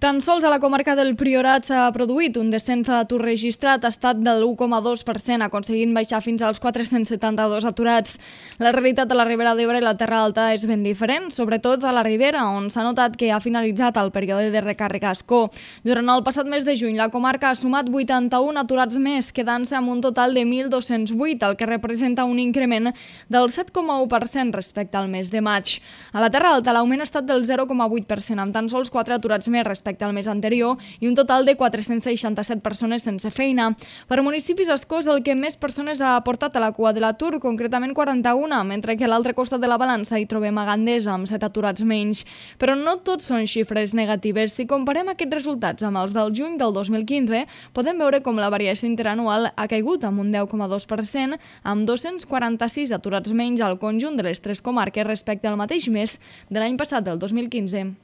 Tan sols a la comarca del Priorat s'ha produït un descens de l'atur registrat, ha estat de l'1,2%, aconseguint baixar fins als 472 aturats. La realitat de la Ribera d'Ebre i la Terra Alta és ben diferent, sobretot a la Ribera, on s'ha notat que ha finalitzat el període de recàrrega escó. Durant el passat mes de juny, la comarca ha sumat 81 aturats més, quedant-se amb un total de 1.208, el que representa un increment del 7,1% respecte al mes de maig. A la Terra Alta, l'augment ha estat del 0,8%, amb tan sols 4 aturats més respecte al mes anterior i un total de 467 persones sense feina. Per municipis escós, el que més persones ha aportat a la cua de l'atur, concretament 41, mentre que a l'altre costat de la balança hi trobem a Gandesa amb 7 aturats menys. Però no tots són xifres negatives. Si comparem aquests resultats amb els del juny del 2015, podem veure com la variació interanual ha caigut amb un 10,2%, amb 246 aturats menys al conjunt de les tres comarques respecte al mateix mes de l'any passat, del 2015.